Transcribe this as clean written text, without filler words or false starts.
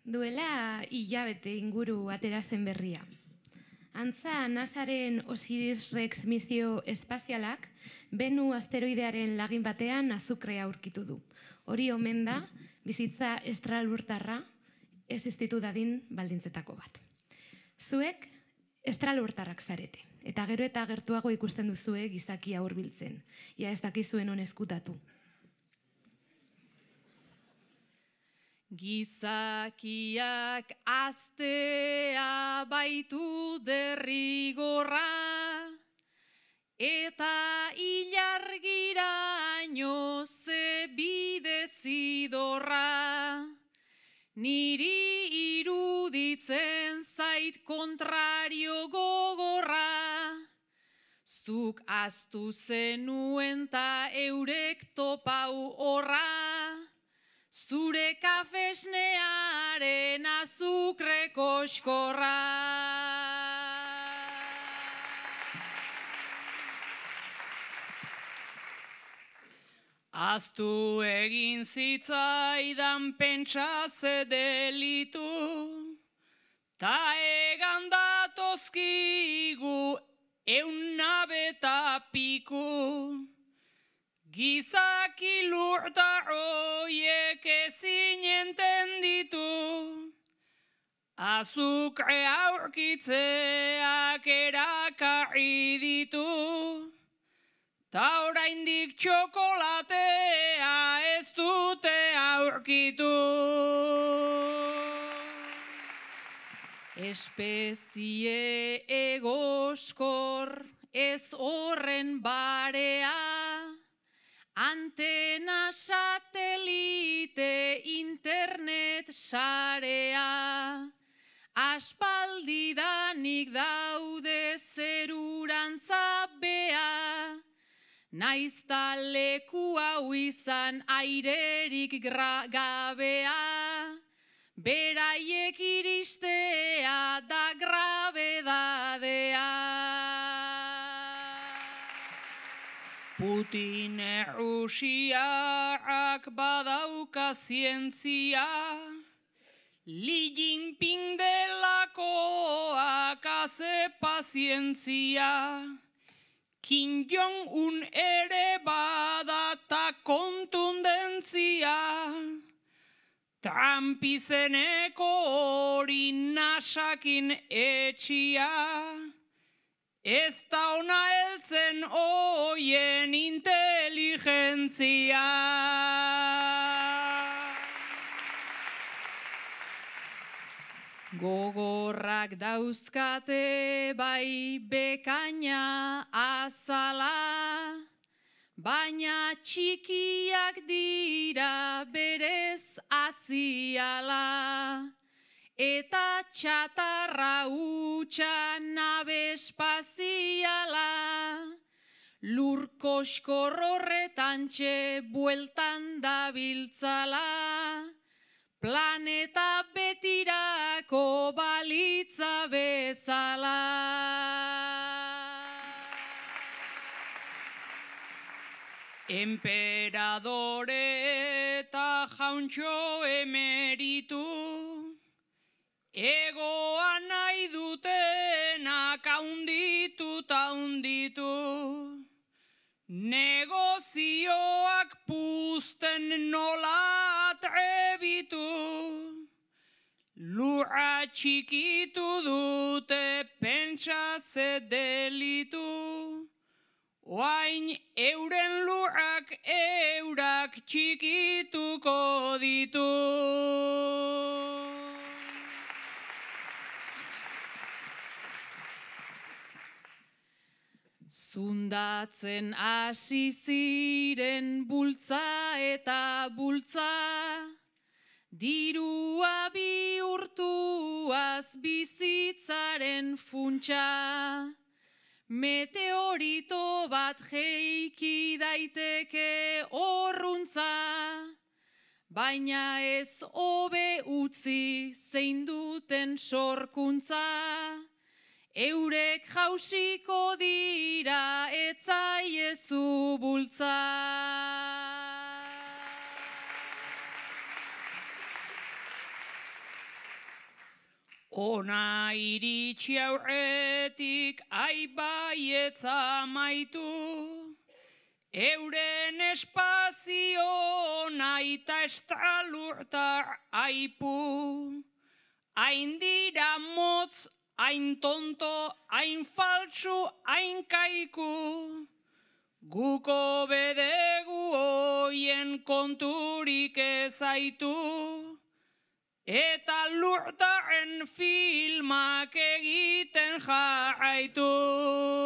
Duela hilabete inguru atera zen berria. Antza, NASAren Osiris Rex misio espazialak Benu asteroidearen lagin batean azukrea aurkitu du. Hori omen da, bizitza estralurtarra existitu dadin baldintzetako bat. Zuek estralurtarrak zarete, eta gero eta gertuago ikusten duzue gizakia hurbiltzen. Ja ez dakizuen on ezkutatu. Gizakiak aztea baitu derrigorra, eta ilargiraino ze bide zidorra. Niri iruditzen zait kontrario gogorra, zuk ahaztu zenuen ta eurek topau horra. Zure kafesnearen azukre koskorra. Aztu egin zitzaidan pentsa ze delitu, ta egan datozkigu eunabeta piku. Gizaki lurtar hoiek ezin entenditu, azukre aurkitzeak erakarri ditu, ta oraindik txokolatea ez dute aurkitu. Espezie egoskor ez horren barea, antena, satelite, internet, sarea. Aspaldidanik daude zerurantza bea, naizta leku hau izan airerik gabea. Beraiek iristea da grabedadea. Putin Errusiak badauka zientzia, Li Jinping delakoak haze pazientzia, Kim Jong-un ere badata kontundentzia, Trump izeneko hori nasakin etxia, ez da ona heltzen hoien inteligentzia. Gogorrak dauzkate bai bekaina azala, baina txikiak dira berez aziala. Eta txatarra hutsa nabe espaziala, lur koskor horretantxe bueltan dabiltzala, planeta betirako balitza bezala. Emperadore eta jauntxo emeritu, egoa nahi dutenak haunditu ta hunditu, negozioak puzten nola atrebitu, lurra txikitu dute pentsa ze delitu, oain euren lurrak eurak txikituko ditu. Zundatzen hasi ziren bultza eta bultza, dirua bihurtuaz bizitzaren funtsa. Meteorito bat jeiki daiteke horruntza, baina ez hobe utzi zein duten sorkuntza. Eurek jausiko dira etzaiezu bultza. Ona iritsi aurretik aibaietza maitu, euren espazio naita estralurtar aipu, hain dira motz, hain tonto, hain faltsu, hain kaiku, guko bedegu hoien konturik ezaitu, eta lurtaren filmak egiten jarraitu.